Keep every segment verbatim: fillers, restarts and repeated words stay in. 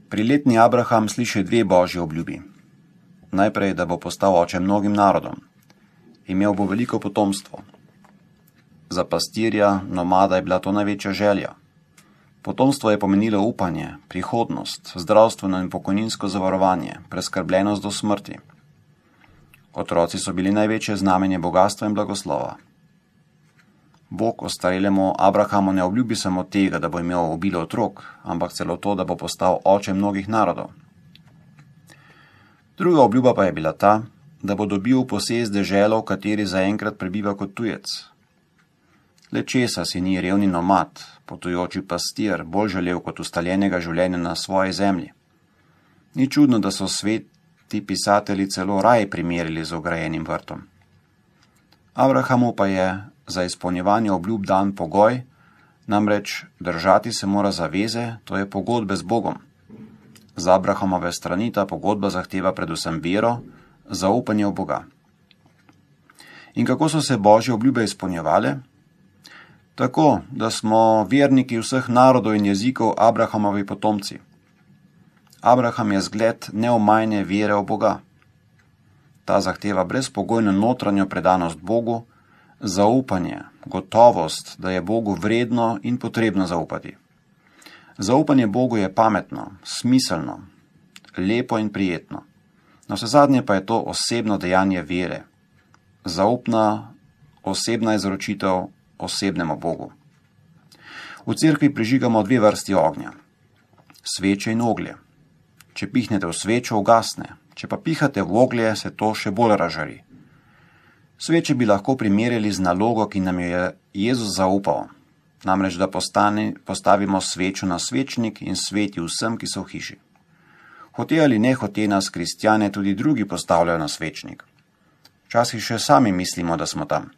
Priletni Abraham sliši dve božji obljubi. Najprej, da bo postal oče mnogim narodom. Imel bo veliko potomstvo. Za pastirja, nomada je bila to največja želja. Potomstvo je pomenilo upanje, prihodnost, zdravstveno in pokojninsko zavarovanje, preskrbljenost do smrti. Otroci so bili največje znamenje bogastva in blagoslova. Bog ostarelemu Abrahamu ne obljubi samo tega, da bo imel obilo otrok, ampak celo to, da bo postal oče mnogih narodov. Druga obljuba pa je bila ta, da bo dobil posest deželo, v kateri zaenkrat prebiva kot tujec. Le česa si ni revni nomad, potujoči pastir, bolj želel kot ustaljenega življenja na svoji zemlji. Ni čudno, da so sveti pisatelji celo raj primerjali z ograjenim vrtom. Abrahamu pa je za izpolnjevanje obljub dan pogoj, namreč držati se mora zaveze, to je pogodbe z Bogom. Z Abrahamove strani ta pogodba zahteva predvsem vero, zaupanje v Boga. In kako so se božje obljube izpolnjevale? Tako, da smo verniki vseh narodov in jezikov Abrahamovi potomci. Abraham je zgled neomajne vere v Boga. Ta zahteva brezpogojno notranjo predanost Bogu, zaupanje, gotovost, da je Bogu vredno in potrebno zaupati. Zaupanje Bogu je pametno, smiselno, lepo in prijetno. Navsezadnje pa je to osebno dejanje vere, zaupna, osebna izročitev osebnemu Bogu. V cerkvi prižigamo dve vrsti ognja, sveče in oglje. Če pihnete v svečo, ugasne, če pa pihate v oglje, se to še bolj razžari. Sveče bi lahko primerjali z nalogo, ki nam jo je Jezus zaupal, namreč da postane, postavimo svečo na svečnik in sveti vsem, ki so v hiši. Hote ali ne hote nas kristjane tudi drugi postavljajo na svečnik. Včasih še sami mislimo, da smo tam.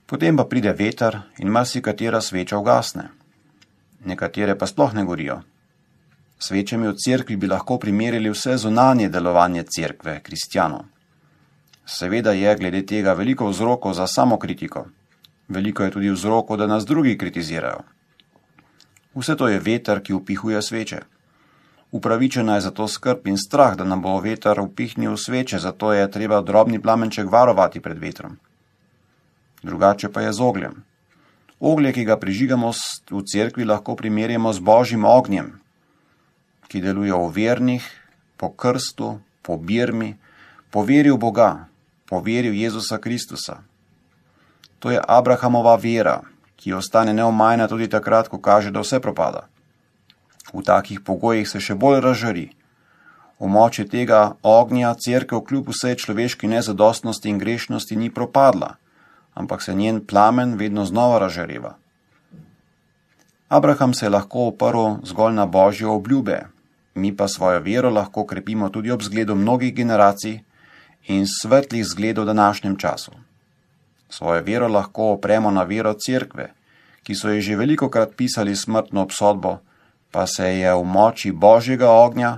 Potem pa pride veter in marsikatera sveča ugasne. Nekatere pa sploh ne gorijo. Svečami v cerkvi bi lahko primerjali vse zunanje delovanje cerkve, kristjanov. Seveda je glede tega veliko vzrokov za samokritiko. Veliko je tudi vzrokov, da nas drugi kritizirajo. Vse to je veter, ki upihuje sveče. Upravičena je zato skrb in strah, da nam bo veter upihnil sveče, zato je treba drobni plamenček varovati pred vetrom. Drugače pa je z ogljem. Oglje, ki ga prižigamo v cerkvi, lahko primerjamo z božjim ognjem, ki deluje v vernih, po krstu, po birmi, po veri v Boga, po veri v Jezusa Kristusa. To je Abrahamova vera, ki ostane neomajna tudi takrat, ko kaže, da vse propada. V takih pogojih se še bolj razžari. V moči tega ognja cerkev kljub vsej človeški nezadostnosti in grešnosti ni propadla, ampak se njen plamen vedno znova razžareva. Abraham se je lahko oprl zgolj na božje obljube, mi pa svojo vero lahko krepimo tudi ob zgledu mnogih generacij in svetlih zgledov v današnjem času. Svojo vero lahko opremo na vero cerkve, ki so ji že velikokrat pisali smrtno obsodbo, pa se je v moči božjega ognja,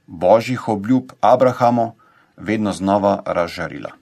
božjih obljub Abrahamu vedno znova razžarila.